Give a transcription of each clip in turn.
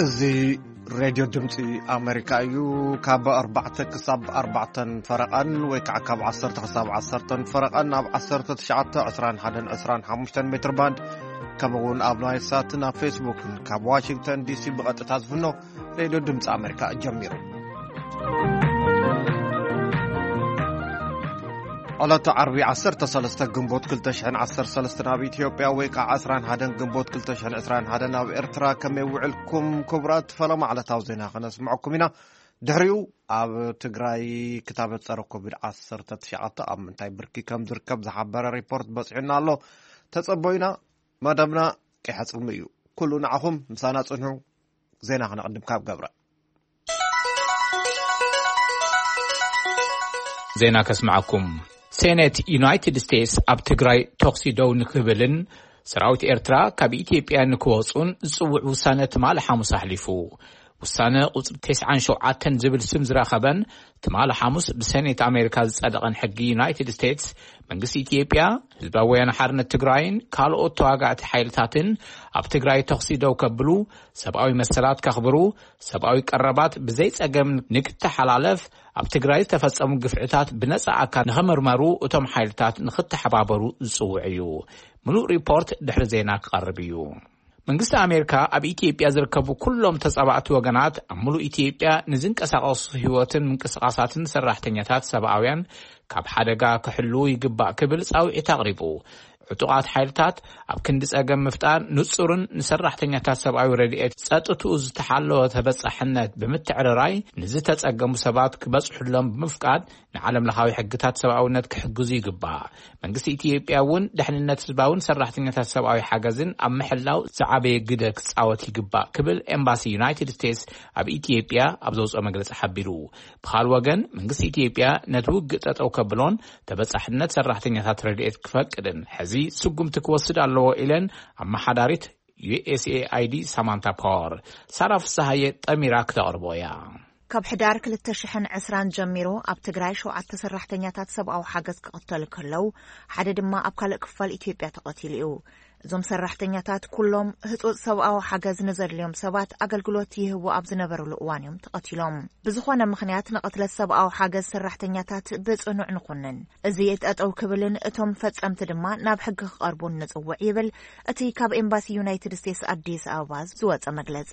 እዚ ሬድዮ ድምፂ ኣሜሪካ እዩ። ካብ ኣርባዕተ ክሳብ ኣርባዕተን ፈረቓን ወይ ከዓ ካብ ዓሰርተ ክሳብ ዓሰርተን ፈረቓን ኣብ ዓሰርተ ትሽዓተ፣ ዕስራን ሓደን ዕስራን ሓሙሽተን ሜትር ባንድ፣ ከምኡ እውን ኣብ ናይል ሳትን ኣብ ፌስቡክን ካብ ዋሽንግተን ዲሲ ብቐጥታ ዝፍኖ ሬድዮ ድምፂ ኣሜሪካ ጀሚሩ። ዕለተ ዓርቢ ዓሰርተ ሰለስተ ግንቦት ክልተ ሽሕን ዓሰርተ ሰለስተን ኣብ ኢትዮጵያ ወይ ከዓ ዕስራን ሓደን ግንቦት ክልተ ሽሕን ዕስራን ሓደን ኣብ ኤርትራ ከመይ ውዕልኩም? ክቡራት ፈለማ ዕለታዊ ዜና ከነስምዐኩም ኢና። ድሕሪኡ ኣብ ትግራይ ክታበት ጸረ ኮቪድ ዓሰርተ ትሽዓተ ኣብ ምንታይ ብርኪ ከም ዝርከብ ዝሓበረ ሪፖርት በጺሑና ኣሎ። ተጸበዩና። መደብና ቀይሐ ጽልሚ እዩ። ኩሉ ንዓኹም ምሳና ጽንሑ። ዜና ክነቕድም ካብ ገብረ። ዜና ከስምዓኩም። ሴኔት ዩናይትድ ስቴትስ ኣብ ትግራይ ተኹሲ ደው ንክብልን ሰራዊት ኤርትራ ካብ ኢትዮጵያ ንክወጹን ዝጽውዕ ውሳነ ትማሊ ሓሙስ ኣሕሊፉ። ውሳነ ቁጽሪ ተስዓን ሸውዓተን ዝብል ስም ዝረኸበን ትማሊ ሓሙስ ብሴኔት ኣሜሪካ ዝጸደቐን ሕጊ ዩናይትድ ስቴትስ፣ መንግስቲ ኢትዮጵያ፣ ህዝባዊ ወያነ ሓርነት ትግራይን ካልኦት ተዋጋእቲ ሓይልታትን ኣብ ትግራይ ተኹሲ ደው ከብሉ፣ ሰብኣዊ መሰላት ከኽብሩ፣ ሰብኣዊ ቀረባት ብዘይ ጸገም ንክተሓላለፍ፣ ኣብ ትግራይ ዝተፈጸሙ ግፍዕታት ብነጻ ኣካል ንኽምርመሩ እቶም ሓይልታት ንኽተሓባበሩ ዝጽውዕ እዩ። ምሉእ ሪፖርት ድሕሪ ዜና ክቐርብ እዩ። መንግስቲ ኣሜሪካ ኣብ ኢትዮጵያ ዝርከቡ ኩሎም ተጻባእቲ ወገናት ኣብ ምሉእ ኢትዮጵያ ንዝንቀሳቐሱ ህይወትን ምንቅስቓሳትን ሰራሕተኛታት ሰብኣውያን ካብ ሓደጋ ክሕልዉ ይግባእ ክብል ጻውዒት ኣቕሪቡ። ዕጡቓት ሓይልታት ኣብ ክንዲ ጸገም ምፍጣር ንጹርን ንሰራሕተኛታት ሰብኣዊ ረድኤት ጸጥትኡ ዝተሓለወ ተበጻሕነት ብምትዕርራይ ንዝተጸገሙ ሰባት ክበጽሑሎም ብምፍቃድ ንዓለም ለኻዊ ሕግታት ሰብኣውነት ክሕግዙ ይግባእ። መንግስቲ ኢትዮጵያ እውን ድሕንነት ህዝባውን ሰራሕተኛታት ሰብኣዊ ሓገዝን ኣብ ምሕላው ዝዓበየ ግደ ክጻወት ይግባእ ክብል ኤምባሲ ዩናይትድ ስቴትስ ኣብ ኢትዮጵያ ኣብ ዘውፅኦ መግለጺ ሓቢሩ። ብኻል ወገን መንግስቲ ኢትዮጵያ ነቲ ውግእ ጠጠው ከብሎን ተበጻሕነት ሰራሕተኛታት ረድኤት ክፈቅድን ሕዚ ስጉምቲ ክወስድ ኣለዎ ኢለን ኣመሓዳሪት ዩ ኤስ ኤ ኣይ ዲ ሳማንታ ፓወር። ሳራ ፍስሃየ ጠሚራ ክተቕርቦ እያ። ካብ ሕዳር ክልተ ሽሕን ዕስራን ጀሚሩ ኣብ ትግራይ ሸውዓተ ሰራሕተኛታት ሰብኣዊ ሓገዝ ክቕተሉ ከለዉ፣ ሓደ ድማ ኣብ ካልእ ክፋል ኢትዮጵያ ተቐቲሉ እዩ። እዞም ሰራሕተኛታት ኩሎም ህጹጽ ሰብኣዊ ሓገዝ ንዘድልዮም ሰባት ኣገልግሎት ይህቡ ኣብ ዝነበሩሉ እዋን እዮም ተቐቲሎም። ብዝኾነ ምኽንያት ንቕትለት ሰብኣዊ ሓገዝ ሰራሕተኛታት ብጽኑዕ ንኹንን። እዚ ጠጠው ክብልን እቶም ፈጸምቲ ድማ ናብ ሕጊ ክቐርቡን ንጽውዕ ይብል እቲ ካብ ኤምባሲ ዩናይትድ ስቴትስ ኣዲስ ኣበባ ዝወጸ መግለጺ።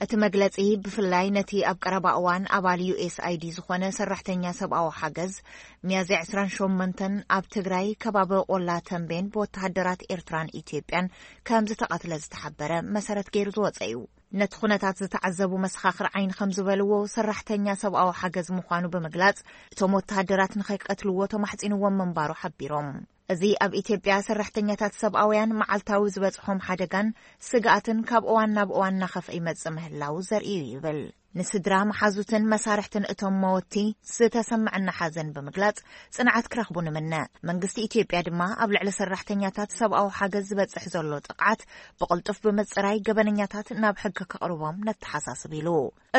እቲ መግለጺ ብፍላይ ነቲ ኣብ ቀረባ እዋን ኣባል ዩ ኤስ ኣይ ዲ ዝኾነ ሰራሕተኛ ሰብኣዊ ሓገዝ ሚያዝያ ዕስራን ሸሞንተን ኣብ ትግራይ ከባቢ ቆላ ተንቤን ብወተሃደራት ኤርትራን ኢትዮጵያን ከም ዝተቐትለ ዝተሓበረ መሰረት ገይሩ ዝወጸ እዩ። ነቲ ኩነታት ዝተዓዘቡ መሰኻኽር ዓይኒ ከም ዝበልዎ፣ ሰራሕተኛ ሰብኣዊ ሓገዝ ምዃኑ ብምግላጽ፣ እቶም ወተሃደራት ንኸይቀትልዎ ተማሕጺንዎም ምንባሩ ሓቢሮም። እዚ ኣብ ኢትዮጵያ ሰራሕተኛታት ሰብኣውያን መዓልታዊ ዝበጽሖም ሓደጋን ስግኣትን ካብ እዋን ናብ እዋን እናኸፍአ ይመጽእ ምህላው ዘርኢ እዩ ይብል። ንስድራ፣ መሓዙትን መሳርሕትን እቶም መወቲ ዝተሰምዐና ሓዘን ብምግላጽ፣ ጽንዓት ክረኽቡ ንምነ። መንግስቲ ኢትዮጵያ ድማ ኣብ ልዕሊ ሰራሕተኛታት ሰብኣዊ ሓገዝ ዝበጽሕ ዘሎ ጥቕዓት ብቕልጡፍ ብምጽራይ፣ ገበነኛታት ናብ ሕጊ ከቕርቦም ነተሓሳስብ ኢሉ።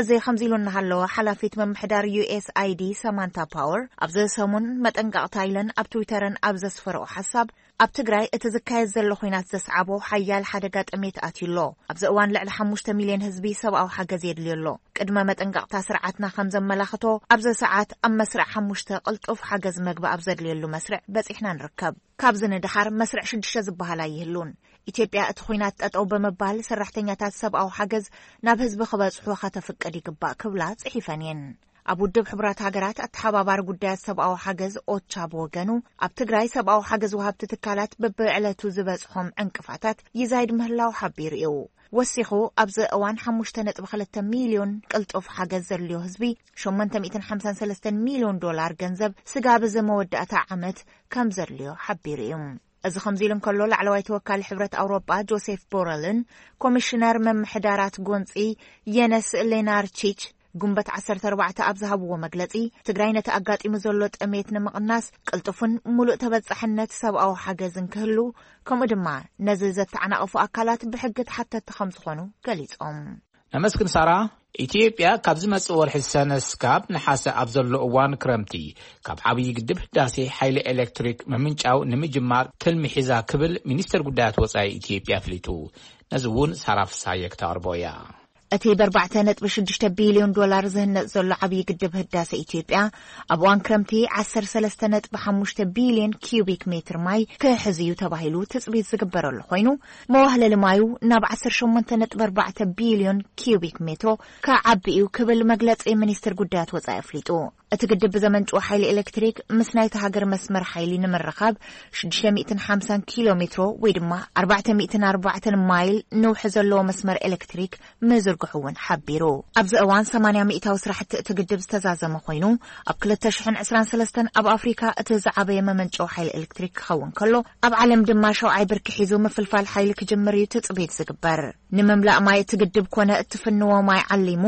እዚ ከምዚ ኢሉ እናሃለወ፣ ሓላፊት ምምሕዳር ዩ ኤስ ኣይ ዲ ሳማንታ ፓወር ኣብዚ ሰሙን መጠንቀቕታ ኢለን ኣብ ትዊተረን ኣብ ዘስፈረኦ ሓሳብ፣ ኣብ ትግራይ እቲ ዝካየድ ዘሎ ኹናት ዘስዓቦ ሓያል ሓደጋ ጥሜት ኣትዩ ኣሎ። ኣብዚ እዋን ልዕሊ ሓሙሽተ ሚልዮን ህዝቢ ሰብኣዊ ሓገዝ የድልዮ ኣሎ። ቅድመ መጠንቀቕታ ስርዓትና ከም ዘመላኽቶ፣ ኣብዚ ሰዓት ኣብ መስርዕ ሓሙሽተ ቅልጡፍ ሓገዝ መግቢ ኣብ ዘድልየሉ መስርዕ በጺሕና ንርከብ። ካብዚ ንደሓር መስርዕ ሽዱሽተ ዝበሃል ኣይህሉን። ኢትዮጵያ እቲ ኹናት ጠጠው ብምባል ሰራሕተኛታት ሰብኣዊ ሓገዝ ናብ ህዝቢ ክበጽሑ ከተፍቅድ ይግባእ ክብላ ጽሒፈን እየን። ኣብ ውድብ ሕቡራት ሃገራት ኣተሓባባሪ ጉዳያት ሰብኣዊ ሓገዝ ኦቻ ብወገኑ፣ ኣብ ትግራይ ሰብኣዊ ሓገዝ ወሃብቲ ትካላት በብዕለቱ ዝበጽሖም ዕንቅፋታት ይዛይድ ምህላው ሓቢሩ እዩ። ወሲኹ፣ ኣብዚ እዋን ሓሙሽተ ነጥቢ ክልተ ሚልዮን ቅልጡፍ ሓገዝ ዘድልዮ ህዝቢ፣ ሸሞንተ ሚእትን ሓምሳን ሰለስተን ሚልዮን ዶላር ገንዘብ ስጋብ እዚ መወዳእታ ዓመት ከም ዘድልዮ ሓቢሩ እዩ። እዚ ከምዚ ኢሉ እንከሎ፣ ላዕለዋይ ተወካሊ ሕብረት ኣውሮጳ ጆሴፍ ቦረልን ኮሚሽነር ምምሕዳራት ጎንጺ የነስ ሌናርቺች ጉንበት ዓሰርተ ኣርባዕተ ኣብ ዝሃብዎ መግለጺ፣ ትግራይ ነቲ ኣጋጢሙ ዘሎ ጥሜት ንምቕናስ ቅልጡፍን ሙሉእ ተበጻሕነት ሰብኣዊ ሓገዝን ክህሉ፣ ከምኡ ድማ ነዚ ዘተዓናቕፉ ኣካላት ብሕጊ ተሓተቲ ከም ዝኾኑ ገሊጾም። ነመስግን ሳራ። ኢትዮጵያ ካብ ዝመጽእ ወርሒ ሰነ ስካብ ነሓሰ ኣብ ዘሎ እዋን ክረምቲ ካብ ዓብዪ ግድብ ህዳሴ ሓይሊ ኤሌክትሪክ ምምንጫው ንምጅማር ትልሚ ሒዛ ክብል ሚኒስትር ጉዳያት ወጻኢ ኢትዮጵያ ኣፍሊጡ። ነዚ እውን ሳራ ፍስሃየ ክተቕርቦ እያ። እቲ ብ4.6 ቢልዮን ዶላር ዝህነጽ ዘሎ ዓብዪ ግድብ ህዳሰ ኢትዮጵያ፣ ኣብ እዋን ክረምቲ 13.5 ቢልዮን ኪዩቢክ ሜትር ማይ ክሕዝ እዩ ተባሂሉ ትጽቢት ዝግበረሉ ኮይኑ፣ መዋህለሊ ማዩ ናብ 18.4 ቢልዮን ኪዩቢክ ሜትሮ ክዓቢ እዩ ክብል መግለጺ ሚኒስትር ጉዳያት ወጻኢ ኣፍሊጡ። እቲ ግድብ ብዘመንጭዎ ሓይሊ ኤሌክትሪክ ምስ ናይቲ ሃገር መስመር ሓይሊ ንምርኻብ 650 ኪሎ ሜትሮ ወይ ድማ 404 ማይል ነውሒ ዘለዎ መስመር ኤሌክትሪክ ምዝርግሑ እውን ሓቢሩ። ኣብዚ እዋን 80% ስራሕቲ እቲ ግድብ ዝተዛዘመ ኮይኑ፣ ኣብ 2023 ኣብ ኣፍሪካ እቲ ዝዓበየ መመንጨዊ ሓይሊ ኤሌክትሪክ ክኸውን ከሎ፣ ኣብ ዓለም ድማ ሸውዓይ ብርኪ ሒዙ ምፍልፋል ሓይሊ ክጅምር እዩ ትጽቢት ዝግበር። ንምምላእ ማይ እቲ ግድብ ኮነ እትፍንዎ ማይ ዓሊሙ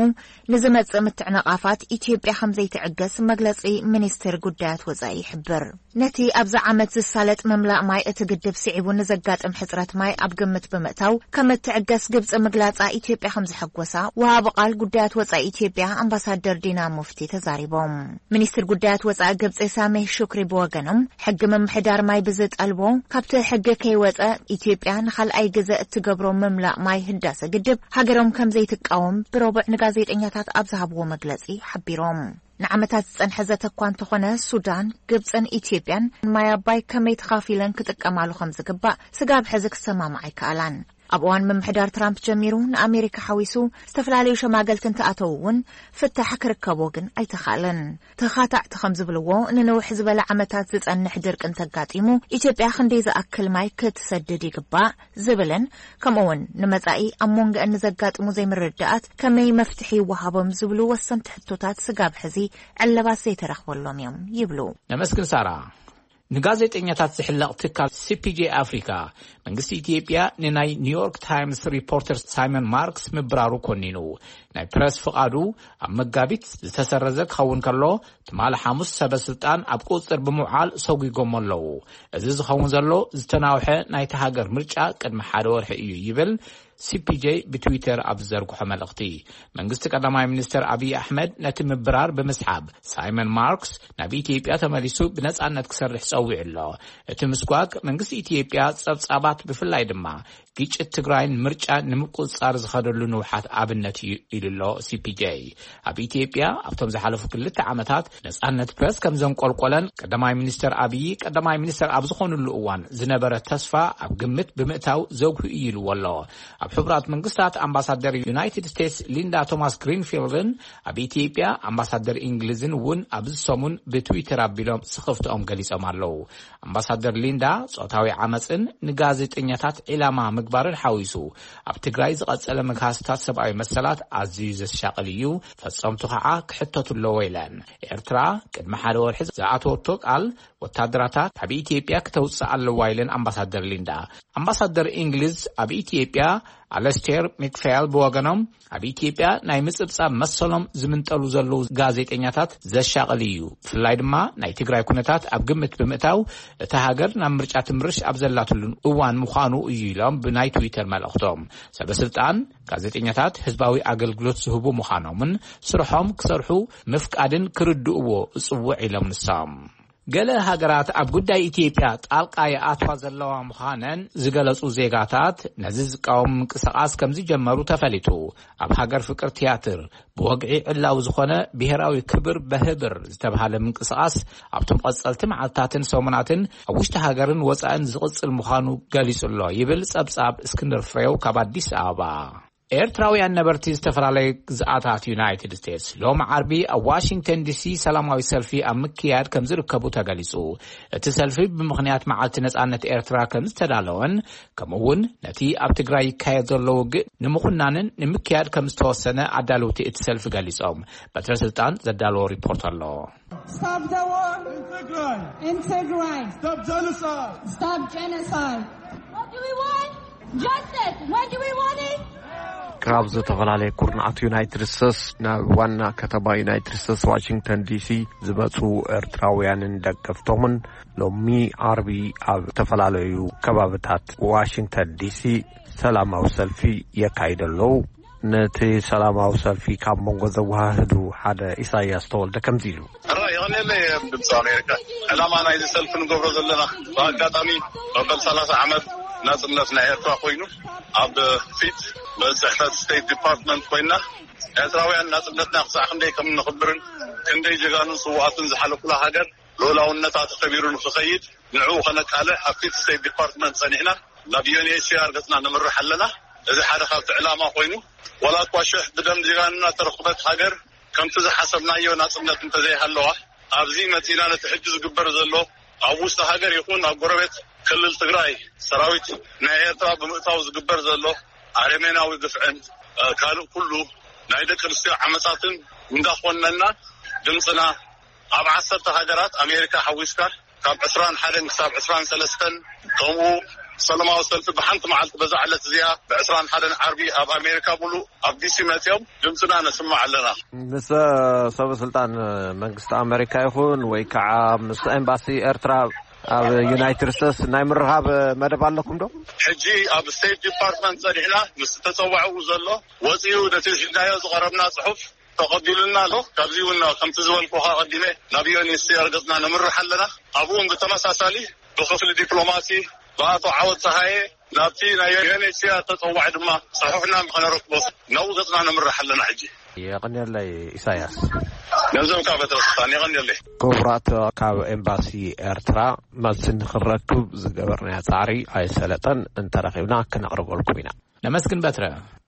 ንዝመጽእ ምትዕንቓፋት ኢትዮጵያ ከም ዘይትዕገስ መግለጺ ሚኒስቴር ጉዳያት ወጻኢ ይሕብር። ነቲ ኣብዚ ዓመት ዝሳለጥ ምምላእ ማይ እቲ ግድብ ስዒቡ ንዘጋጥም ሕጽረት ማይ ኣብ ግምት ብምእታው ከም እትዕገስ ግብጺ ምግላጻ ኢትዮጵያ ከም ዘሐጎሳ ወሃቢ ቃል ጉዳያት ወጻኢ ኢትዮጵያ ኣምባሳደር ዲና ሙፍቲ ተዛሪቦም። ሚኒስትር ጉዳያት ወጻኢ ግብጺ ሳሜህ ሹክሪ ብወገኖም፣ ሕጊ ምምሕዳር ማይ ብዝጠልቦ፣ ካብቲ ሕጊ ከይወጸ ኢትዮጵያ ንኻልኣይ ግዘ እትገብሮ ምምላእ ማይ ህዳሰ ግድብ ሃገሮም ከም ዘይትቃወም ብረቡዕ ንጋዜጠኛታት ኣብ ዝሃብዎ መግለጺ ሓቢሮም። ንዓመታት ዝጸንሐ ዘተ እኳ እንተኾነ፣ ሱዳን፣ ግብጽን ኢትዮጵያን ማይ ኣባይ ከመይ ተኻፊለን ክጥቀማሉ ከም ዝግባእ ስጋብ ሕዚ ክሰማምዓ ኣይከኣላን። ኣብ እዋን ምምሕዳር ትራምፕ ጀሚሩ ንኣሜሪካ ሓዊሱ ዝተፈላለዩ ሸማገልቲ እንተኣተዉ እውን ፍታሕ ክርከቦ ግን ኣይተኻእለን። ተኻታዕቲ ከም ዝብልዎ፣ ንንውሕ ዝበለ ዓመታት ዝጸንሕ ድርቂ እንተጋጢሙ ኢትዮጵያ ክንደይ ዝኣክል ማይ ክትሰድድ ይግባእ ዝብልን ከምኡ እውን ንመጻኢ ኣብ መንጎአን ንዘጋጥሙ ዘይምርድዳኣት ከመይ መፍትሒ ይወሃቦም ዝብሉ ወሰንቲ ሕቶታት ስጋብ ሕዚ ዕለባት ዘይተረኽበሎም እዮም ይብሉ። ነመስግን ሳራ። ንጋዜጠኛታት ዝሕለቕ ትካል ሲ ፒ ጄ ኣፍሪካ፣ መንግስቲ ኢትዮጵያ ንናይ ኒውዮርክ ታይምስ ሪፖርተር ሳይመን ማርክስ ምብራሩ ኮኒኑ። ናይ ፕረስ ፍቓዱ ኣብ መጋቢት ዝተሰረዘ ክኸውን ከሎ፣ ትማሊ ሓሙስ ሰበ ስልጣን ኣብ ቁጽጽር ብምውዓል ሰጒጎሞ ኣለዉ። እዚ ዝኸውን ዘሎ ዝተናውሐ ናይቲ ሃገር ምርጫ ቅድሚ ሓደ ወርሒ እዩ ይብል ሲ ፒ ጄ ብትዊተር ኣብ ዝዘርግሖ መልእኽቲ። መንግስቲ ቀዳማይ ሚኒስትር ኣብይ ኣሕመድ ነቲ ምብራር ብምስሓብ፣ ሳይመን ማርክስ ናብ ኢትዮጵያ ተመሊሱ ብነጻነት ክሰርሕ ጸዊዑ ኣሎ። እቲ ምስጓግ መንግስቲ ኢትዮጵያ ጸብጻባት፣ ብፍላይ ድማ ግጭት ትግራይን ምርጫን ንምቁጽጻር ዝኸደሉ ንውሓት ኣብነት እዩ ኢሉ ኣሎ ሲ ፒ ጄ። ኣብ ኢትዮጵያ ኣብቶም ዝሓለፉ ክልተ ዓመታት ነጻነት ፕረስ ከም ዘንቆልቆለን ቀዳማይ ሚኒስትር ኣብይ ቀዳማይ ሚኒስትር ኣብ ዝኾኑሉ እዋን ዝነበረ ተስፋ ኣብ ግምት ብምእታው ዘጉሂ እዩ ኢልዎ ኣሎ። ኣብ ሕቡራት መንግስታት ኣምባሳደር ዩናይትድ ስቴትስ ሊንዳ ቶማስ ግሪንፊልድን ኣብ ኢትዮጵያ ኣምባሳደር እንግሊዝን እውን ኣብዚ ሰሙን ብትዊተር ኣቢሎም ስኽፍትኦም ገሊጾም ኣለዉ። ኣምባሳደር ሊንዳ ጾታዊ ዓመጽን ንጋዜጠኛታት ዒላማ ምግባርን ሓዊሱ ኣብ ትግራይ ዝቐጸለ ምግሃስታት ሰብኣዊ መሰላት ኣዝዩ ዘሻቕል እዩ፣ ፈጸምቱ ኸዓ ክሕተቱ ኣለዎ ኢለን። ኤርትራ ቅድሚ ሓደ ወርሒ ዝኣተወቶ ቃል ወታደራታ ካብ ኢትዮጵያ ክተውጽእ ኣለዋ ኢለን ኣምባሳደር ሊንዳ። ኣምባሳደር እንግሊዝ ኣብ ኢትዮጵያ ኣለስቴር ሚክፌል ብወገኖም፣ ኣብ ኢትዮጵያ ናይ ምጽብጻብ መሰሎም ዝምንጠሉ ዘለዉ ጋዜጠኛታት ዘሻቕል እዩ፣ ብፍላይ ድማ ናይ ትግራይ ኩነታት ኣብ ግምት ብምእታው እታ ሃገር ናብ ምርጫ ትምርሽ ኣብ ዘላትሉ እዋን ምዃኑ እዩ ኢሎም ብናይ ትዊተር መልእኽቶም። ሰበ ስልጣን፣ ጋዜጠኛታት፣ ህዝባዊ ኣገልግሎት ዝህቡ ምዃኖምን ስርሖም ክሰርሑ ምፍቃድን ክርድእዎ እጽውዕ ኢሎም ንሶም። ገለ ሃገራት ኣብ ጉዳይ ኢትዮጵያ ጣልቃ ይኣትዋ ዘለዋ ምዃነን ዝገለጹ ዜጋታት ነዚ ዝቃወም ምንቅስቓስ ከም ዝጀመሩ ተፈሊጡ። ኣብ ሃገር ፍቅር ቲያትር ብወግዒ ዕላዊ ዝኾነ ብሄራዊ ክብር በህብር ዝተባህለ ምንቅስቓስ ኣብቶም ቀጸልቲ መዓልታትን ሰሙናትን ኣብ ውሽጢ ሃገርን ወጻእን ዝቕጽል ምዃኑ ገሊጹ ኣሎ ይብል ጸብጻብ እስክንድር ፍሬው ካብ ኣዲስ ኣበባ። ኤርትራውያን ነበርቲ ዝተፈላለየ ግዝኣታት ዩናይትድ ስቴትስ ሎም ዓርቢ ኣብ ዋሽንግተን ዲሲ ሰላማዊ ሰልፊ ኣብ ምክያድ ከም ዝርከቡ ተገሊጹ። እቲ ሰልፊ ብምኽንያት መዓልቲ ነጻነት ኤርትራ ከም ዝተዳለወን፣ ከምኡ እውን ነቲ ኣብ ትግራይ ይካየድ ዘሎ ውግእ ንምኹናንን ንምክያድ ከም ዝተወሰነ ኣዳለውቲ እቲ ሰልፊ ገሊጾም። በትረ ስልጣን ዘዳለዎ ሪፖርት ኣሎ። Stop the war in Tigray. In Tigray. Stop genocide. Stop genocide. What do we want? Justice. What do we want? Is ካብ ዝተፈላለየ ኩርናዓት ዩናይትድ ስቴትስ ናብ ዋና ከተማ ዩናይትድ ስቴትስ ዋሽንግተን ዲሲ ዝመጹ ኤርትራውያንን ደገፍቶምን ሎሚ ዓርቢ ኣብ ዝተፈላለዩ ከባብታት ዋሽንግተን ዲሲ ሰላማዊ ሰልፊ የካይዱ ኣለዉ። ነቲ ሰላማዊ ሰልፊ ካብ መንጎ ዘወሃህዱ ሓደ ኢሳያስ ተወልደ ከምዚ ኢሉ። ሕራይ የቐንየለይ ድምፂ ኣሜሪካ። ዕላማ ናይዚ ሰልፊ ንገብሮ ዘለና፣ ብኣጋጣሚ መበል ሰላሳ ዓመት ናፅነት ናይ ኤርትራ ኮይኑ፣ ኣብ ፊት ጽሕፈት ስቴት ዲፓርትመንት ኮይና፣ ኤርትራውያን ናጽነትና ክሳዕ ክንደይ ከም ነኽብርን ክንደይ ጀጋኑን ስውኣትን ዝሓለፉላ ሃገር ልኡላውነታ ተኸቢሩ ንክኸይድ፣ ንዕኡ ከነቃልዕ ኣብ ፊት ስቴት ዲፓርትመንት ጸኒሕና ናብ ዩ ኤን ኤች ሲ ኣር ገጽና ንምርሕ ኣለና። እዚ ሓደ ካብቲ ዕላማ ኮይኑ፣ ዋላ እኳ ሽሕ ብደም ጀጋኑና ተረኽበት ሃገር ከምቲ ዝሓሰብናዮ ናጽነት እንተዘይሃለዋ፣ ኣብዚ መጺና ነቲ ሕጂ ዝግበር ዘሎ ኣብ ውሽጢ ሃገር ይኹን ኣብ ጎረቤት ክልል ትግራይ ሰራዊት ናይ ኤርትራ ብምእታው ዝግበር ዘሎ ኣረሜናዊ ግፍዕን፣ እ፣ ካልእ ኩሉ ናይ ደቂ ኣንስትዮ ዓመጻትን እንዳኾነና፣ ድምፅና ኣብ ዓሰርተ ሃገራት ኣሜሪካ ሓዊስካ ካብ ዕስራን ሓደን ክሳብ ዕስራን ሰለስተን፣ ከምኡ ሰላማዊ ሰልፊ ብሓንቲ መዓልቲ በዛ ዕለት እዚኣ ብዕስራን ሓደን ዓርቢ ኣብ ኣሜሪካ ሙሉእ ኣብ ዲሲ መፅዮም ድምፅና ነስምዕ ኣለና። ምስ ሰበ ስልጣን መንግስቲ ኣሜሪካ ይኹን ወይ ከዓ ምስ ኤምባሲ ኤርትራ ኣብ ዩናይትድ ስቴትስ ናይ ምርኻብ መደብ ኣለኩም ዶ? ሕጂ ኣብ ስቴት ዲፓርትመንት ጸኒሕና ምስ ተጸዋዕኡ ዘሎ ወጺኡ ነቲ ሒዝናዮ ዝቐረብና ጽሑፍ ተቐቢሉና ኣሎ። ካብዚ እውን ከምቲ ዝበልኩኻ ቀዲመ ናብ ዩ ኤን ኤች ሲ ኣር ገጽና ነምርሕ ኣለና። ኣብኡ እውን ብተመሳሳሊ ብክፍሊ ዲፕሎማሲ ብኣቶ ዓወት ጸሃየ ናብቲ ናይ ዩ ኤን ኤች ሲ ኣር ተጸዋዒ ድማ ጽሑፍና ንኸነረክቦ ናብኡ ገጽና ነምርሕ ኣለና። ሕጂ የቐንየለይ ኢሳያስ። ገንዘብካ በትረ ስልጣን የቐንየለይ። ክቡራት፣ ካብ ኤምባሲ ኤርትራ መልሲ ንኽንረክብ ዝገበርናዮ ጻዕሪ ኣይሰለጠን። እንተረኺብና ክነቕርበልኩም ኢና። ነመስግን በትረ።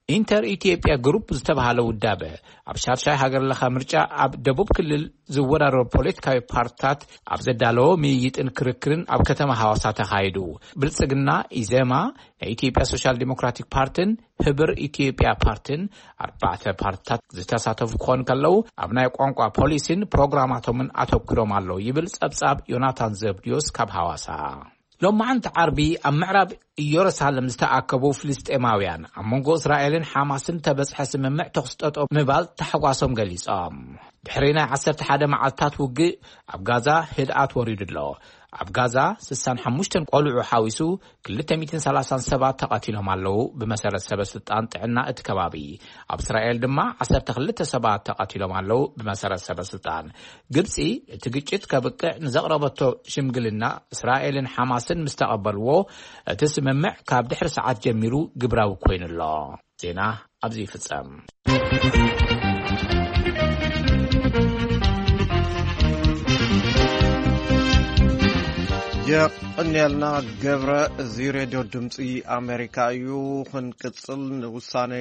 ኢንተር ኢትዮጵያ ግሩፕ ዝተባህለ ውዳበ ኣብ ሻድሻይ ሃገር ለኸ ምርጫ ኣብ ደቡብ ክልል ዝወዳደሩ ፖለቲካዊ ፓርትታት ኣብ ዘዳለዎ ምይይጥን ክርክርን ኣብ ከተማ ሃዋሳ ተኻይዱ። ብልጽግና፣ ኢዜማ፣ ናይ ኢትዮጵያ ሶሻል ዲሞክራቲክ ፓርትን ህብር ኢትዮጵያ ፓርትን ኣርባዕተ ፓርትታት ዝተሳተፉ ክኾኑ ከለዉ፣ ኣብ ናይ ቋንቋ ፖሊሲን ፕሮግራማቶምን ኣተኲሮም ኣለዉ ይብል ጸብጻብ ዮናታን ዘብድዮስ ካብ ሃዋሳ። ሎማዓንቲ ዓርቢ ኣብ ምዕራብ ኢየሩሳሌም ዝተኣከቡ ፍልስጤማውያን ኣብ መንጎ እስራኤልን ሓማስን ተበጽሐ ስምምዕ ተኹሲ ጠጠው ምባል ታሕጓሶም ገሊጾም። ድሕሪ ናይ ዓሰርተ ሓደ መዓልታት ውግእ ኣብ ጋዛ ህድኣት ወሪዱ ኣሎ። ኣብ ጋዛ ስሳን ሓሙሽተን ቆልዑ ሓዊሱ ክልተ ሚእትን ሰላሳን ሰባት ተቐቲሎም ኣለዉ፣ ብመሰረት ሰበ ስልጣን ጥዕና እቲ ከባቢ። ኣብ እስራኤል ድማ ዓሰርተ ክልተ ሰባት ተቐቲሎም ኣለዉ፣ ብመሰረት ሰበ ስልጣን። ግብጺ እቲ ግጭት ከብቅዕ ንዘቕረበቶ ሽምግልና እስራኤልን ሓማስን ምስ ተቐበልዎ፣ እቲ ስምምዕ ካብ ድሕሪ ሰዓት ጀሚሩ ግብራዊ ኮይኑ ኣሎ። ዜና ኣብዚ ይፍጸም። የቐንየልና ገብረ። እዚ ሬድዮ ድምፂ ኣሜሪካ እዩ። ክንቅፅል፣ ንውሳነ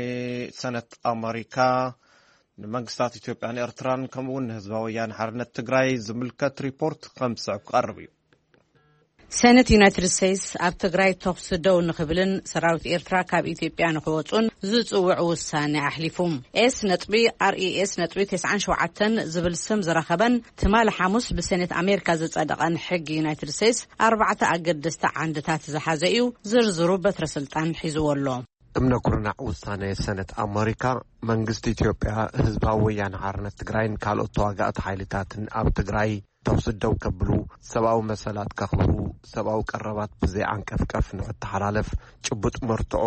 ሰነት ኣሜሪካ ንመንግስታት ኢትዮጵያን ኤርትራን ከምኡ እውን ንህዝባዊ ወያነ ሓርነት ትግራይ ዝምልከት ሪፖርት ከም ዝስዕብ ክቐርብ እዩ። ሰነት ዩናይትድ ስቴትስ ኣብ ትግራይ ተኹሲ ደው ንኽብልን ሰራዊት ኤርትራ ካብ ኢትዮጵያ ንኽወፁን ዝፅውዕ ውሳኔ ኣሕሊፉ። ኤስ ነጥቢ ኣር ኢ ኤስ ነጥቢ ተስዓን ሸውዓተን ዝብል ስም ዝረኸበን ትማሊ ሓሙስ ብሰኔት ኣሜሪካ ዝጸደቐን ሕጊ ዩናይትድ ስቴትስ ኣርባዕተ ኣገደስቲ ዓንድታት ዝሓዘ እዩ። ዝርዝሩ በትረ ስልጣን ሒዝዎ ኣሎ። እምነ ኩርናዕ ውሳነ ሰነት ኣመሪካ መንግስቲ ኢትዮጵያ ህዝባዊ ወያነ ሓርነት ትግራይን ካልኦት ተዋጋእቲ ሓይልታትን ኣብ ትግራይ ተኹሲ ደው ከብሉ፣ ሰብኣዊ መሰላት ከኽብሩ፣ ሰብኣዊ ቀረባት ብዘይዓንቀፍቀፍ ንኽተሓላለፍ ጭቡጥ መርትዖ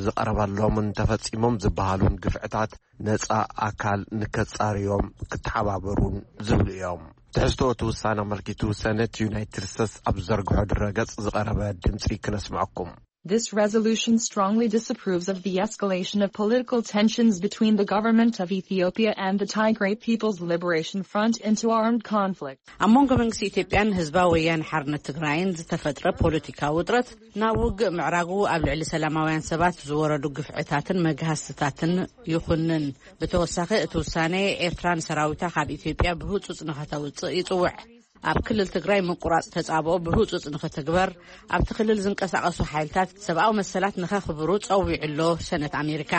ዝቐረበሎምን ተፈጺሞም ዝበሃሉን ግፍዕታት ነጻ ኣካል ንከጻርዮም ክተሓባበሩን ዝብሉ እዮም። ትሕዝቶ እቲ ውሳነ ኣመልኪቱ ሰነት ዩናይትድ ስቴትስ ኣብ ዝዘርግሖ ድረገጽ ዝቐረበ ድምጺ ክነስምዐኩም። This resolution strongly disapproves of the escalation of political tensions between the government of Ethiopia and the Tigray People's Liberation Front into armed conflict. ኣብ መንጎ መንግስቲ ኢትዮጵያን ህዝባዊ ወያነ ሓርነት ትግራይን ዝተፈጥረ ፖለቲካዊ ውጥረት ናብ ውግእ ምዕራጉ ኣብ ልዕሊ ሰላማውያን ሰባት ዝወረዱ ግፍዕታትን መግሃስትታትን ይኹንን። ብተወሳኺ እቲ ውሳኔ ኤርትራ ንሰራዊታ ካብ ኢትዮጵያ ብህጹጽ ንኸተውጽእ ይጽውዕ። ኣብ ክልል ትግራይ ምቁራጽ ተጻብኦ ብህጹጽ ንኽትግበር፣ ኣብቲ ክልል ዝንቀሳቐሱ ሓይልታት ሰብኣዊ መሰላት ንኸኽብሩ ጸዊዑ ኣሎ። ሰነት ኣሜሪካ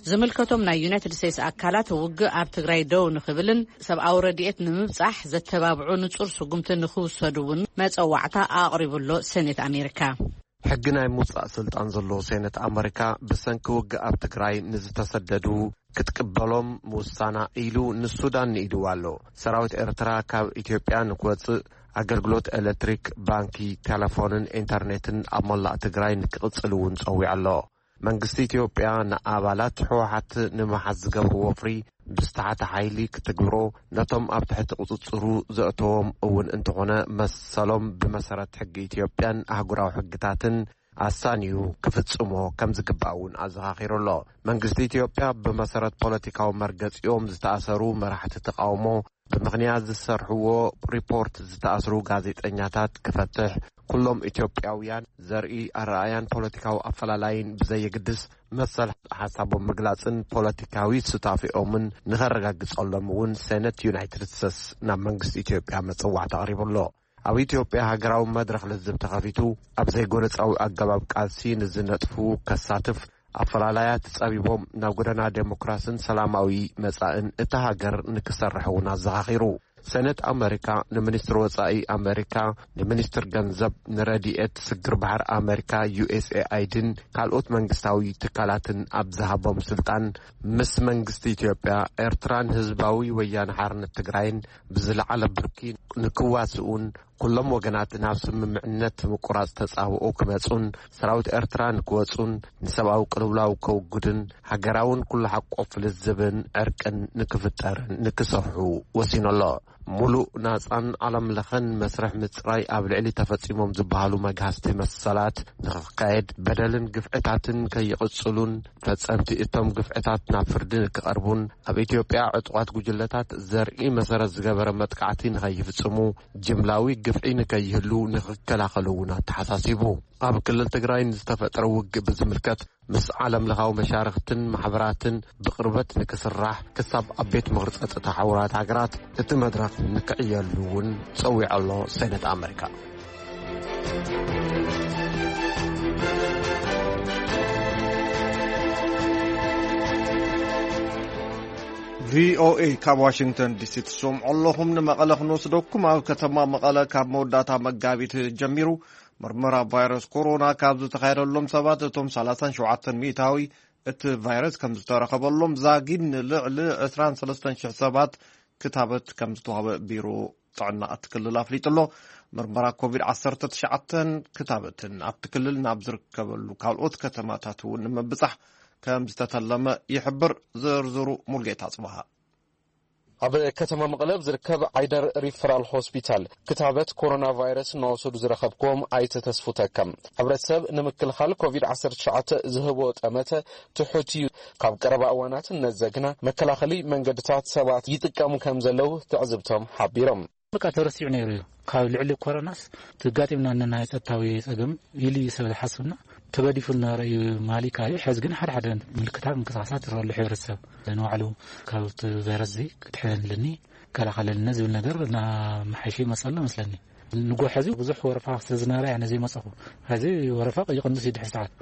ዝምልከቶም ናይ ዩናይትድ ስቴትስ ኣካላት ውግእ ኣብ ትግራይ ደው ንኽብልን ሰብኣዊ ረድኤት ንምብጻሕ ዘተባብዑ ንጹር ስጉምቲ ንኽውሰዱ እውን መጸዋዕታ ኣቕሪቡ ኣሎ። ሰኔት ኣሜሪካ ሕጊ ናይ ምውጻእ ስልጣን ዘለዎ ሴነት ኣመሪካ ብሰንኪ ውግእ ኣብ ትግራይ ንዝተሰደዱ ክትቅበሎም ምውሳና ኢሉ ንሱዳን ንኢድዋ ኣሎ። ሰራዊት ኤርትራ ካብ ኢትዮጵያ ንክወጽእ ኣገልግሎት ኤሌክትሪክ፣ ባንኪ፣ ቴሌፎንን ኢንተርኔትን ኣብ መላእ ትግራይ ንክቕጽል እውን ጸዊዑ ኣሎ። መንግስቲ ኢትዮጵያ ንኣባላት ህወሓት ንምሓዝ ዝገብርዎ ወፍሪ ብዝተሓተ ሓይሊ ክትግብሮ፣ ነቶም ኣብ ትሕቲ ቁጽጽሩ ዘእተዎም እውን እንተኾነ መሰሎም ብመሰረት ሕጊ ኢትዮጵያን ኣህጉራዊ ሕግታትን ኣሳንዩ ክፍጽሞ ከም ዝግባእ እውን ኣዘኻኺሩ ኣሎ። መንግስቲ ኢትዮጵያ ብመሰረት ፖለቲካዊ መርገጺኦም ዝተኣሰሩ መራሕቲ ተቃውሞ ብምኽንያት ዝሰርሕዎ ሪፖርት ዝተኣስሩ ጋዜጠኛታት ክፈትሕ፣ ኩሎም ኢትዮጵያውያን ዘርኢ ኣረኣያን ፖለቲካዊ ኣፈላላይን ብዘየግድስ መሰል ሓሳቦም ምግላጽን ፖለቲካዊ ሱታፌኦምን ንኸረጋግጸሎም እውን ሴነት ዩናይትድ ስቴትስ ናብ መንግስቲ ኢትዮጵያ መጸዋዕታ ኣቕሪቡ ኣሎ። ኣብ ኢትዮጵያ ሃገራዊ መድረኽ ልዝብ ተኸፊቱ፣ ኣብ ዘይጎነጻዊ ኣገባብ ቃልሲ ንዝነጥፉ ከሳትፍ፣ ኣፈላላያት ጸቢቦም ናብ ጎደና ዴሞክራስን ሰላማዊ መጻእን እታ ሃገር ንክሰርሕ እውን ኣዘኻኺሩ። ሰነት ኣመሪካ ንሚኒስትር ወጻኢ ኣመሪካ፣ ንሚኒስትር ገንዘብ፣ ንረድኤት ስግር ባሕር ኣመሪካ፣ ዩ ኤስ ኤ ኣይ ዲን ካልኦት መንግስታዊ ትካላትን ኣብ ዝሃቦም ስልጣን፣ ምስ መንግስቲ ኢትዮጵያ፣ ኤርትራን ህዝባዊ ወያነ ሓርነት ትግራይን ብዝለዓለ ብርኪ ንክዋስኡን፣ ኩሎም ወገናት ናብ ስምምዕነት ምቁራጽ ተጻብኦ ክመጹን፣ ሰራዊት ኤርትራ ንክወጹን፣ ንሰብኣዊ ቅልውላው ከውግድን፣ ሃገራውን ኩሉ ሓቆፍ ልዝብን ዕርቅን ንክፍጠርን ንክሰርሑ ወሲኑ ኣሎ። ሙሉእ ናጻን ዓለም ለኸን መስርሕ ምጽራይ ኣብ ልዕሊ ተፈጺሞም ዝበሃሉ መግሃስቲ መሰላት ንክካየድ፣ በደልን ግፍዕታትን ከይቕጽሉን፣ ፈጸምቲ እቶም ግፍዕታት ናብ ፍርዲ ንክቐርቡን፣ ኣብ ኢትዮጵያ ዕጡቓት ጉጅለታት ዘርኢ መሰረት ዝገበረ መጥቃዕቲ ንኸይፍጽሙ፣ ጅምላዊ ግፍዒ ንከይህሉ ንክከላኸሉ እውን ኣተሓሳሲቡ። ኣብ ክልል ትግራይ ንዝተፈጠረ ውግእ ብዝምልከት ምስ ዓለም ለኻዊ መሻርኽትን ማሕበራትን ብቕርበት ንክስራሕ፣ ክሳብ ኣብ ቤት ምኽሪ ጸጥታ ሕቡራት ሃገራት እቲ መድረኽ ንክዕየሉ እውን ጸዊዑ ኣሎ። ሰነት ኣመሪካ። ቪ ኦ ኤ ካብ ዋሽንግተን ዲ ሲ ትሰምዑ ኣለኹም። ንመቐለ ክንወስደኩም። ኣብ ከተማ መቐለ ካብ መወዳእታ መጋቢት ጀሚሩ ምርመራ ቫይረስ ኮሮና ካብ ዝተኻየደሎም ሰባት፣ እቶም ሰላሳን ሸውዓተን ሚእታዊ እቲ ቫይረስ ከም ዝተረኸበሎም ዛጊድ ንልዕሊ ዕስራን ሰለስተን ሽሕ ሰባት ክታበት ከም ዝተዋህበ ቢሮ ጥዕና እቲ ክልል ኣፍሊጡ ኣሎ። ምርመራ ኮቪድ ዓሰርተ ትሽዓተ ክታበትን ኣብቲ ክልል ናብ ዝርከበሉ ካልኦት ከተማታት እውን ንምብጻሕ ከም ዝተተለመ ይሕብር። ዝርዝሩ ሙልጌታ ጽባሃ። ኣብ ከተማ መቐለ ኣብ ዝርከብ ዓይደር ሪፈራል ሆስፒታል ክታበት ኮሮና ቫይረስ እናወሰዱ ዝረኸብክዎም ኣይተ ተስፉ ተከም፣ ሕብረተሰብ ንምክልኻል ኮቪድ ዓሰርተ ትሽዓተ ዝህቦ ጠመተ ትሑት እዩ። ካብ ቀረባ እዋናት እነዘግና መከላኸሊ መንገድታት ሰባት ይጥቀሙ ከም ዘለዉ ትዕዝብቶም ሓቢሮም። በቃ ተረሲዑ ነይሩ እዩ። ካብ ልዕሊ ኮሮናስ ትጋጢምና እነና የጸጥታዊ ጸገም ኢሉ እዩ ሰብ ዝሓስብና። ተገዲፉ እናረእዩ ማሊካ እዩ። ሕዚ ግን ሓደ ሓደ ምልክታት ምንቅስቃሳት ይረሉ። ሕብረተሰብ ንባዕሉ ካብ እቲ ቫይረስ እዚ ክድሕነልኒ፣ ይከላኸለልኒ ዝብል ነገር እናመሓየሸ ይመፅእ ኣሎ መስለኒ። ንጎ ሕዚ ብዙሕ ወረፋ ስለ ዝነበረ እየ ነዚ መፀኹ። ሕዚ ወረፋ ይቕንስ እዩ ድሕሪ ሰዓት።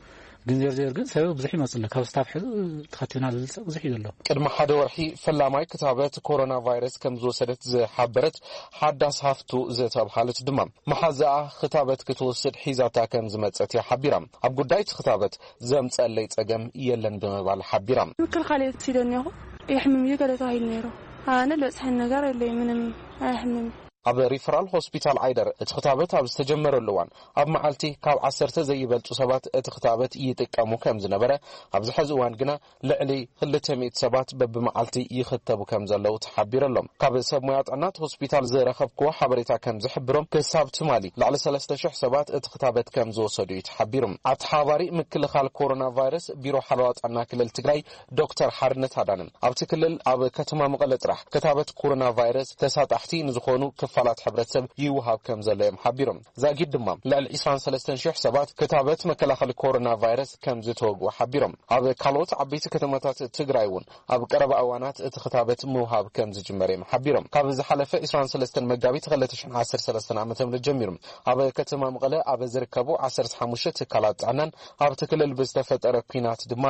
ግን ዜር ዜር ግን ሰብ ብዙሕ ይመፅእ ኣሎ። ካብ ስታፍ ሕዚ ተኸቲብና ዝብል ሰብ ብዙሕ እዩ ዘሎ። ቅድሚ ሓደ ወርሒ ፈላማይ ክታበት ኮሮና ቫይረስ ከም ዝወሰደት ዝሓበረት ሓዳስ ሃፍቱ ዝተብሃለት ድማ፣ መሓዛኣ ክታበት ክትወስድ ሒዛታ ከም ዝመጸት እያ ሓቢራ። ኣብ ጉዳይ እቲ ክታበት ዘምጸለይ ጸገም የለን ብምባል ሓቢራ። ምክልኻል እየ ወሲደኒ እኹ። የሕምም እዩ ገለ ተባሂሉ ነይሩ። ኣነ ለብጽሐኒ ነገር የለይ፣ ምንም ኣየሕምም። ኣብ ሪፈራል ሆስፒታል ዓይደር እቲ ክታበት ኣብ ዝተጀመረሉ እዋን፣ ኣብ መዓልቲ ካብ ዓሰርተ ዘይበልጹ ሰባት እቲ ክታበት ይጥቀሙ ከም ዝነበረ፣ ኣብዚ ሕዚ እዋን ግና ልዕሊ ክልተ ሚእቲ ሰባት በብመዓልቲ ይኽተቡ ከም ዘለዉ ተሓቢሩ ኣሎ። ካብ ሰብ ሞያ ጥዕና እቲ ሆስፒታል ዝረኸብክዎ ሓበሬታ ከም ዝሕብሮ፣ ክሳብ ትማሊ ልዕሊ ሰለስተ ሽሕ ሰባት እቲ ክታበት ከም ዝወሰዱ እዩ ተሓቢሩ። ኣተሓባሪ ምክልኻል ኮሮና ቫይረስ ቢሮ ሓለዋ ጥዕና ክልል ትግራይ ዶክተር ሓርነት ኣዳነ፣ ኣብቲ ክልል ኣብ ከተማ መቐለ ጥራሕ ክታበት ኮሮና ቫይረስ ተሳጣሕቲ ንዝኾኑ ክፋላት ሕብረተሰብ ይወሃብ ከም ዘሎ እዮም ሓቢሮም። ዛጊድ ድማ ልዕሊ ዕስራን ሰለስተን ሽሕ ሰባት ክታበት መከላኸሊ ኮሮና ቫይረስ ከም ዝተወግኡ ሓቢሮም። ኣብ ካልኦት ዓበይቲ ከተማታት ትግራይ እውን ኣብ ቀረባ እዋናት እቲ ክታበት ምውሃብ ከም ዝጅመር እዮም ሓቢሮም። ካብ ዝሓለፈ ዕስራን ሰለስተን መጋቢት ክልተ ሽሕን ዓሰርተ ሰለስተን ዓመተ ምህረት ጀሚሩ ኣብ ከተማ መቐለ ኣብ ዝርከቡ ዓሰርተ ሓሙሽተ ትካላት ጥዕናን ኣብቲ ክልል ብዝተፈጠረ ኲናት ድማ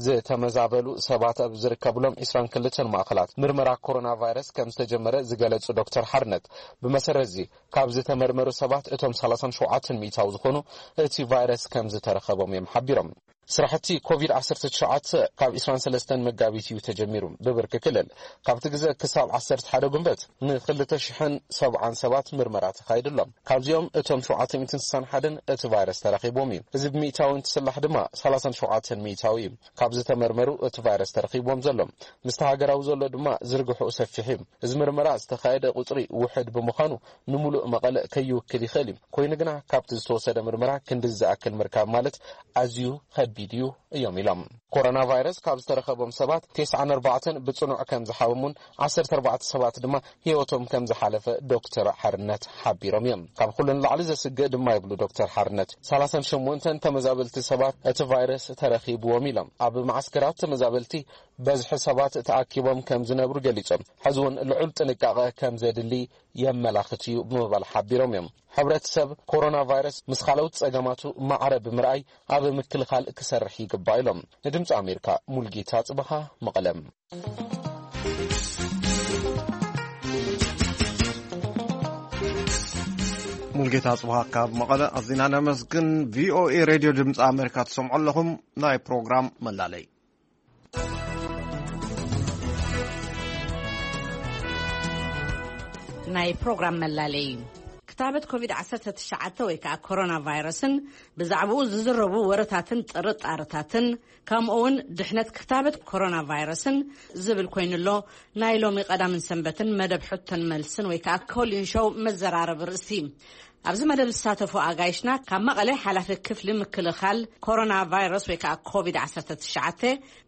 ዝተመዛበሉ ሰባት ኣብ ዝርከብሎም ዕስራን ክልተን ማእኸላት ምርመራ ኮሮና ቫይረስ ከም ዝተጀመረ ዝገለጹ ዶክተር ሓርነት፣ ብመሰረት እዚ ካብ ዝተመርመሩ ሰባት እቶም ሰላሳን ሸውዓተን ሚእታዊ ዝኾኑ እቲ ቫይረስ ከም ዝተረኸቦም እዮም ሓቢሮም። ስራሕቲ ኮቪድ ዓሰርተ ትሽዓተ ካብ ዕስራን ሰለስተን መጋቢት እዩ ተጀሚሩ። ብብርኪ ክልል ካብቲ ግዘ ክሳብ ዓሰርተ ሓደ ጉንበት ንክልተ ሽሕን ሰብዓን ሰባት ምርመራ ተኻይዱ ኣሎ። ካብዚኦም እቶም ሸውዓተ ሚእትን ስሳን ሓደን እቲ ቫይረስ ተረኺቦም እዩ። እዚ ብሚእታዊ እንትስላሕ ድማ ሰላሳን ሸውዓተን ሚእታዊ እዩ። ካብ ዝተመርመሩ እቲ ቫይረስ ተረኺቦም ዘሎ። ምስቲ ሃገራዊ ዘሎ ድማ ዝርግሕኡ ሰፊሕ እዩ። እዚ ምርመራ ዝተኻየደ ቁፅሪ ውሕድ ብምዃኑ ንምሉእ መቐለ ከይውክል ይኽእል እዩ። ኮይኑ ግና ካብቲ ዝተወሰደ ምርመራ ክንዲ ዝኣክል ምርካብ ማለት ኣዝዩ ከቢድ እዩ እዮም ኢሎም። ኮሮና ቫይረስ ካብ ዝተረኸቦም ሰባት ተስዓን ኣርባዕተን ብጽኑዕ ከም ዝሓመሙን ዓሰርተ ኣርባዕተ ሰባት ድማ ህይወቶም ከም ዝሓለፈ ዶክተር ሓርነት ሓቢሮም እዮም። ካብ ኩሉ ንላዕሊ ዘስግእ ድማ ይብሉ ዶክተር ሓርነት፣ ሰላሳን ሸሞንተን ተመዛበልቲ ሰባት እቲ ቫይረስ ተረኺብዎም ኢሎም። ኣብ መዓስከራት ተመዛበልቲ በዝሒ ሰባት ተኣኪቦም ከም ዝነብሩ ገሊጾም፣ ሕዚ እውን ልዑል ጥንቃቐ ከም ዘድሊ የመላኽት እዩ ብምባል ሓቢሮም እዮም። ሕብረተሰብ ኮሮና ቫይረስ ምስ ካልኦት ጸገማቱ ማዕረ ብምርኣይ ኣብ ምክልኻል ክሰርሕ ይግባእ ኢሎም። ንድምፂ ኣሜሪካ ሙልጌታ ጽበኻ መቐለም። ሙልጌታ ጽበኻ ካብ መቐለ ኣዚና ነመስግን። ቪኦኤ ሬድዮ ድምፂ ኣሜሪካ ትሰምዑ ኣለኹም። ናይ ፕሮግራም መላለይ ናይ ፕሮግራም መላለይ ክታበት ኮቪድ ዓሰርተ ትሽዓተ ወይ ከዓ ኮሮና ቫይረስን ብዛዕባኡ ዝዝረቡ ወረታትን ጥርጣርታትን፣ ከምኡ እውን ድሕነት ክታበት ኮሮና ቫይረስን ዝብል ኮይኑሎ። ናይ ሎሚ ቀዳምን ሰንበትን መደብ ሕቶን መልስን ወይ ከዓ ኮሊን ሾው መዘራረቢ ርእሲ። ኣብዚ መደብ ዝሳተፉ ኣጋይሽና ካብ መቐለ ሓላፊ ክፍሊ ምክልኻል ኮሮና ቫይረስ ወይ ከዓ ኮቪድ ዓሰርተ ትሽዓተ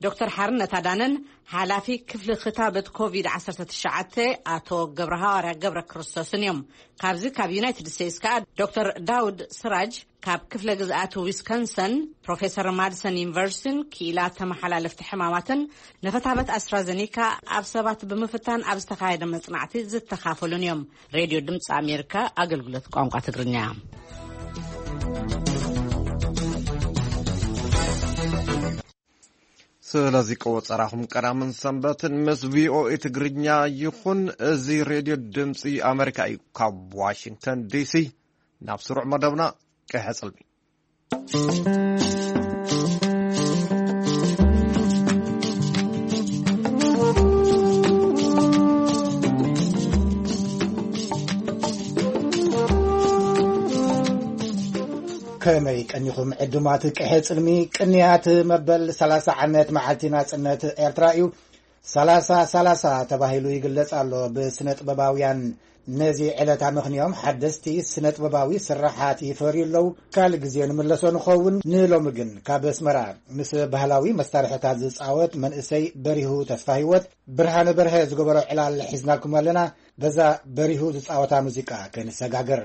ዶክተር ሓርነት ኣዳነን ሓላፊ ክፍሊ ክታበት ኮቪድ ዓሰርተ ትሽዓተ ኣቶ ገብረ ሃዋርያ ገብረ ክርስቶስን እዮም። ካብዚ ካብ ዩናይትድ ስቴትስ ከዓ ዶክተር ዳውድ ስራጅ ካብ ክፍለ ግዝኣት ዊስኮንሰን፣ ፕሮፌሰር ማድሰን ዩኒቨርሲቲን ክኢላ ተመሓላለፍቲ ሕማማትን ንክታበት ኣስትራዘኒካ ኣብ ሰባት ብምፍታን ኣብ ዝተኻየደ መጽናዕቲ ዝተኻፈሉን እዮም። ሬድዮ ድምፂ ኣሜሪካ ኣገልግሎት ቋንቋ ትግርኛ። ስለዚ ቆጸራኹም ቀዳምን ሰንበትን ምስ ቪኦኤ ትግርኛ ይኹን። እዚ ሬድዮ ድምፂ ኣሜሪካ እዩ። ካብ ዋሽንግተን ዲሲ ናብ ስሩዕ መደብና ቀሐ ጽልሚ። ከመይ ቀኒኹም ዕዱማት ቀሐ ጽልሚ? ቅንያት መበል ሰላሳ ዓመት መዓልቲ ናጽነት ኤርትራ እዩ። ሰላሳ ሰላሳ ተባሂሉ ይግለጽ ኣሎ ብስነ ጥበባውያን። ነዚ ዕለት ኣመኽንዮም ሓደስቲ ስነ ጥበባዊ ስራሓት ይፈርዩ ኣለዉ። ካልእ ግዜ ንምለሶ ንኸውን። ንሎሚ ግን ካብ ኣስመራ ምስ ባህላዊ መሳርሕታት ዝጻወት መንእሰይ በሪሁ ተስፋ ህይወት ብርሃነ በርሀ ዝገበሮ ዕላል ሒዝናልኩም ኣለና። በዛ በሪሁ ዝጻወታ ሙዚቃ ክንሰጋገር።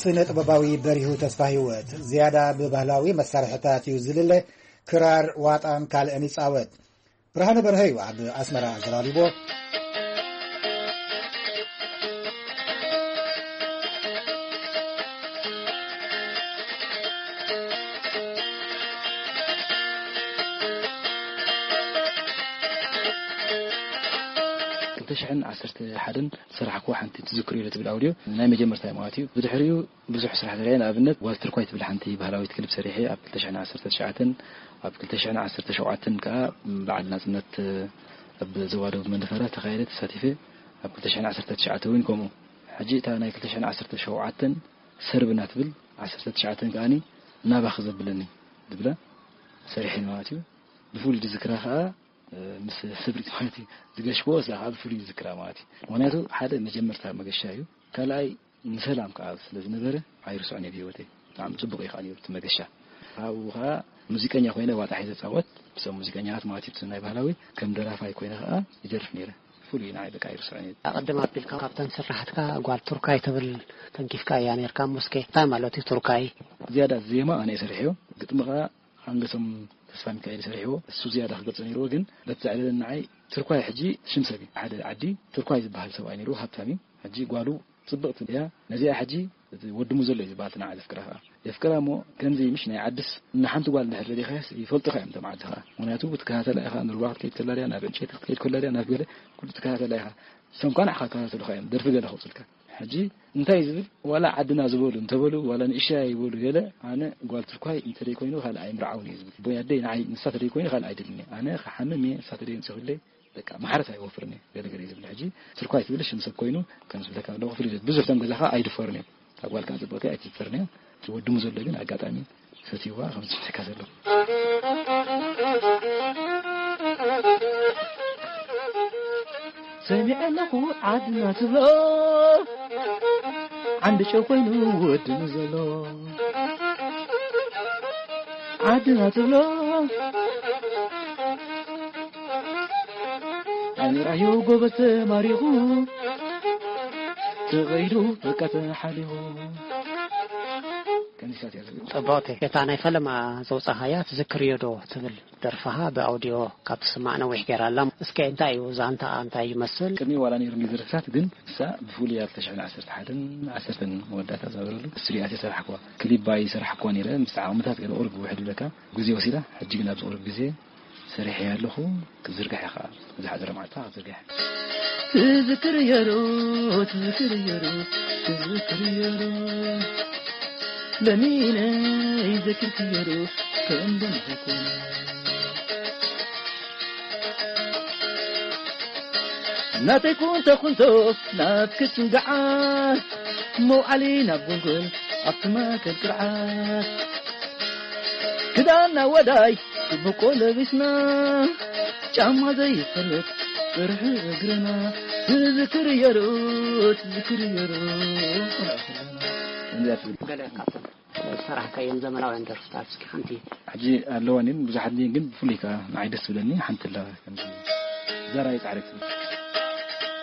ስነ ጥበባዊ በሪሁ ተስፋ ህይወት ዝያዳ ብባህላዊ መሳርሕታት እዩ ዝልለ። ክራር፣ ዋጣን ካልእን ይጻወት። ብርሃነ በርሀ እዩ ኣብ ኣስመራ ኣዘራሪቦ። ክልተ ሽሕን ዓሰርተ ሓደን ዝሰራሕክዎ ሓንቲ ትዝክር ኢሉ ትብል ኣውድዮ ናይ መጀመርታ ማለት እዩ። ብድሕሪኡ ብዙሕ ስራሕ ተሪአ። ንኣብነት ጓል ትርኳይ ትብል ሓንቲ ባህላዊት ክሊፕ ሰሪሐ ኣብ ክልተ ሽሕን ዓሰርተ ትሽዓተን፣ ኣብ ክልተ ሽሕን ዓሰርተ ሸውዓተን ከዓ በዓል ናጽነት ኣብ ዞባ ደቡብ መንደፈራ ዝተኻየደ ተሳቲፈ። ኣብ ክልተ ሽሕን ዓሰርተ ትሽዓተ እውን ከምኡ። ሕጂ እታ ናይ ክልተ ሽሕን ዓሰርተ ሸውዓተን ሰርብና ትብል ዓሰርተ ትሽዓተ ከኣኒ ናባኺ ዘብለኒ ዝብላ ሰሪሐን ማለት እዩ። ብፍሉይ ዝዝክራ ከኣ፣ እ፣ ምስ ህብሪት ማለት እዩ ዝገሽክዎ፣ እዛ ከኣ ብፍሉይ ዝዝክራ ማለት እዩ። ምኽንያቱ ሓደ መጀመርታ መገሻ እዩ። ካልኣይ ንሰላም ከኣ ስለ ዝነበረ ኣይርስዖን እየ ብህይወተይ። ብጣዕሚ ጽቡቕ እዩ ከኣ ነይሩ እቲ መገሻ። ኣብኡ ከኣ ሙዚቀኛ ኮይነ ዋጣ ሒዘ ጻወት፣ ብሰብ ሙዚቀኛታት ማለት እዩ፣ ብሰብ ናይ ባህላዊ ከም ደራፋይ ኮይነ ከኣ ይደርፍ ነይረ። ፍሉይ ንዓይ በቃ ኣይርስዖን እየ። ኣቐድም ኣቢልካ ካብተን ስራሕትካ ጓል ቱርካይ ትብል ተንኪፍካ እያ ነይርካ። እሞ እስከ እንታይ ማለት እዩ ቱርካይ? ዝያዳ ዜማ ኣነ እየ ሰሪሐዮ፣ ግጥሚ ከኣ ሓንገሶም ተስፋ ሚካኤል ሰሪሕዎ። እሱ ዝያዳ ክገልጾ ነይርዎ፣ ግን በቲ ዘዕለለ ንዓይ ትርኳይ ሕጂ ሽም ሰብ እዩ። ሓደ ዓዲ ትርኳይ ዝበሃል ሰብኣይ ነይርዎ፣ ሃብታም እዩ። ሕጂ ጓሉ ጽብቕቲ እያ። ነዚኣ ሕጂ እቲ ወዲ ሙዘሎ እዩ ዝበሃል፣ እቲ ንዓ ዘፍቅራ ከኣ የፍቅራ። እሞ ከምዚ ምሽ ናይ ዓድስ ንሓንቲ ጓል እንድሕር ደሊኻያስ ይፈልጡኻ እዮም እቶም ዓዲ ከኣ። ምኽንያቱ ክትከታተላ ኢኻ፣ ንሩባ ክትከይድ ከላ ድያ፣ ናብ ዕንጨይቲ ክትከይድ ከላ ድያ፣ ናብ ገለ ኩሉ ትከታተላ ኢኻ። ሰምኳ ንዓኻ ክከታተሉኻ እዮም፣ ደርፊ ገለ ከውጽልካ። ሕጂ እንታይ እዩ ዝብል? ዋላ ዓድና ዝበሉ እንተበሉ፣ ዋላ ንእሽያ ይበሉ ገለ፣ ኣነ ጓል ትርኳይ እንተደይ ኮይኑ ካልእ ኣይምርዓውን እየ ዝብል። ቦይ ኣደይ ንዓይ ንሳ ተደይ ኮይኑ ካልእ ኣይደልን እየ። ኣነ ክሓምም እየ፣ ንሳ ተደይ ኣምፂኹለይ፣ በቃ ማሕረስ ኣይወፍርን እየ፣ ገለ ገለ እዩ ዝብል። ሕጂ ትርኳይ ትብል ሽም ሰብ ኮይኑ ከም ዝብለካ ኣለኹ፣ ፍልልት ብዙሕ እቶም ገዛኻ ኣይድፈርን እዮም። እታ ጓል ከዓ ፅብቕቲ ኣይትድፈርን እያ። እቲ ወዲ ሙዘሎ ግን ኣጋጣሚ ሰትይዋ ከም ዝስምዐካ ዘሎ። ሰሚዐ ኣለኹ ዓድና ትብሎ፣ ዓንዲ ጨው ኮይኑ ወዲ ሙዘሎ። ዓድና ትብሎ፣ ኣሚራዮ ጎበዝ ተማሪኹ፣ ተኸይዱ በቃ ተሓሊኹ። ከምዚታት እያ ዝብል። ጽብቕቲ። እታ ናይ ፈለማ ዘውጻኻያ ትዝክርዮ ዶ ትብል ደርፍኻ ብኣውዲዮ ካብ ትስማዕ ነዊሕ ገይራ ኣላ። እስከ እንታይ እዩ ዛንታኣ፣ እንታይ ይመስል? ቅድሚ ዋላ ነይሩ እንዲ ዝርክታት ግን ንሳ ብፍሉይ ኣብ ክልተ ሽሕን ዓሰርተ ሓደን ዓሰርተን መወዳእታ ዝነበረሉ ስቱዲዮታት የሰራሕክዋ። ክሊባ ይሰራሕክዋ ነይረ። ምስ ዓቕምታት ገለ ቁሩብ ውሕድ ይብለካ። ግዜ ወሲዳ። ሕጂ ግን ኣብዚ ቁሩብ ግዜ ሰሪሐ ኣለኹ። ክዝርግሕ እየ ኸዓ። ዝሓፀረ መዓልታ ክዝርግሕ። ትዝክር የሩ፣ ትዝክር የሩ፣ ትዝክር የሩ። ለሚነ ይዘክር ክየሩ ከም ደምዘኮነ። ናተይ ኩንቶ ኩንቶ ናብ ክስንግዓ፣ መውዓሊ ናብ ጎልጎል ኣብቲ ማእከል ቅርዓት። ክዳንና ወዳይ ጽቡቆ ለቢስና፣ ጫማ ዘይፈልጥ ጥርሑ እግርና። ትዝክር የሩ፣ ትዝክር የሩ። ከምዚኣ ትብል። ገለ ካብተን ዝሰራሕካየን ዘመናውያን ደርፍታት እስኪ ሓንቲ። ሕጂ ኣለዋን እየን፣ ብዙሓት እየን፣ ግን ብፍሉይ ከኣ ንዓይ ደስ ትብለኒ ሓንቲ ኣላ፣ ከምዚ ዛራይ ጻዕሪ ትብል።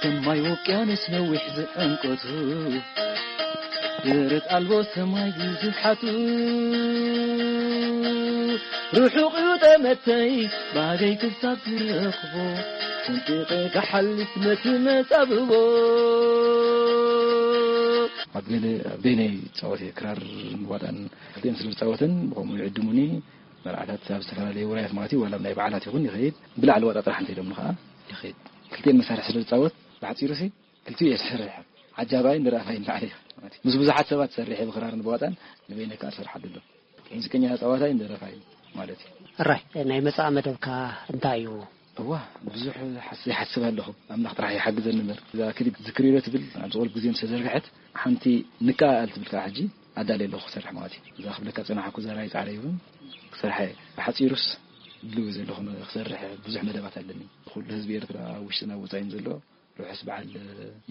ሰማይ ውቅያኖስ ነዊሕ ዝዕምቆቱ፣ ደረት ኣልቦ ሰማይ ግዝሓቱ፣ ርሑቕ እዩ ጠመተይ ባገይ ክሳብ ዝረኽቦ፣ ሰንጢቐ ክሓልፍ ነቲ መጻብቦ። ኣብ ገለ፣ ኣብ በይነይ ይጻወት እየ፣ ክራር ዋጣን ክልቲኤን ስለ ዝጻወተን፣ ብኸምኡ ይዕድሙኒ። መርዓታት ኣብ ዝተፈላለዩ ውራያት ማለት እዩ፣ ዋላ ኣብ ናይ በዓላት ይኹን ይኸይድ። ብላዕሊ ዋጣ ጥራሕ እንተኢሎምኒ ከኣ ይኸይድ። ክልቲኤን መሳርሒ ስለ ዝጻወት፣ ብሓጺሩ ሲ ክልቲኡ እየ ዝሰርሕ። ዓጃባይን ደራፋይን ባዕለይ ማለት እዩ። ምስ ብዙሓት ሰባት ሰርሕ እየ፣ ብክራርን ብዋጣን፣ ንበይነይ ከኣ እሰርሓሉ ኣሎ። ሙዚቀኛ ተጻዋታይ ደረፋይ ማለት እዩ። እራይ፣ ናይ መጻኢ መደብካ እንታይ እዩ? እዋ፣ ብዙሕ ሓስ-፣ ይሓስብ ኣለኹ። ኣምላኽ ጥራሕ ይሓግዘኒ እምበር። እዛ ክሊፕ ዝክርዮ ትብል ኣብዚ ቁሩብ ግዜ ምስ ተዘርግሐት፣ ሓንቲ ንከኣል ትብል ከኣ ሕጂ ኣዳልየ ኣለኹ ክሰርሕ ማለት እዩ። እዛ ክብለካ ጸናሕኩ ዘራይ ጻዕረ ይውን ክሰርሐ እየ። ብሓጺሩስ ድልው ዘለኹ ክሰርሕ ብዙሕ መደባት ኣለኒ። ኩሉ ህዝቢ ኤርትራ ኣብ ውሽጥን ኣብ ወጻኢን ዘሎ ርሑስ በዓል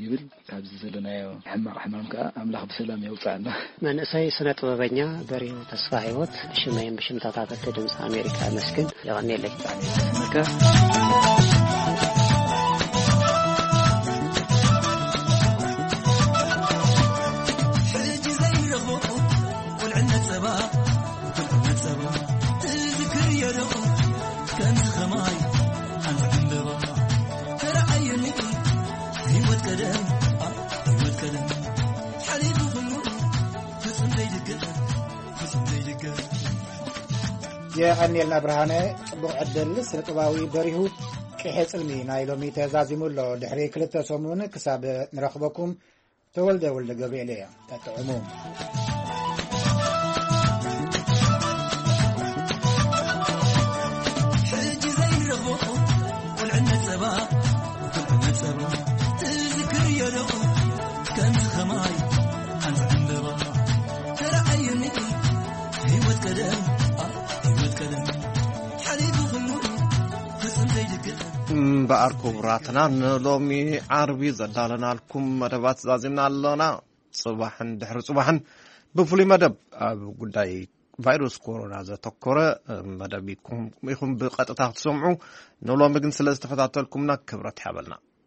ይብል። ካብዚ ዘለናዮ ሕማቕ ሕማም ከኣ ኣምላኽ ብሰላም የውጽኣና። መንእሰይ ስነ ጥበበኛ በሪሁ ተስፋ ህይወት፣ ብሽመይን ብሽም ተታተልቲ ድምፂ ኣሜሪካ የመስግን። የቐንየለይ። ብጣዕሚ የመስግነካ። ሕጂ ዘይረኽቦ ቁልዕነት ጸባ፣ ቁልዕነት ጸባ ትዝክር የደቑ ከምዚ ኸማይ ሓንቲ ዕምበባ ተረኣየኒ። ህይወት ቀደም፣ ህይወት ቀደም ሓሊፉ ኩሉ ፍጹም ዘይድገም፣ ፍጹም ዘይድገም። የቐንየልና ብርሃነ፣ ጽቡቕ ዕድል። ስነ ጥበባዊ በሪሁ፣ ቅሔ ጽልሚ ናይ ሎሚ ተዛዚሙ ኣሎ። ድሕሪ ክልተ ሰሙን ክሳብ ንረኽበኩም፣ ተወልደ ወልደ ገብርኤል እየ። ጠጥዕሙ። ሕጂ ዘይንረኽቦ ቁልዕነት ጸባ፣ ቁልዕነት ጸባ ትዝክር የደቑ ከምዚ ኸማይ ሓንቲ ዕምበባ ተረኣየኒ። ኣር ክቡራትና፣ ንሎሚ ዓርቢ ዘዳለናልኩም መደባት ዛዚምና ኣለና። ጽባሕን ድሕሪ ጽባሕን ብፍሉይ መደብ ኣብ ጉዳይ ቫይረስ ኮሮና ዘተኮረ መደብ ኢኹም ብቐጥታ ክትሰምዑ ንሎሚ ግን ስለ ዝተፈታተልኩምና ክብረት ይሃበልና።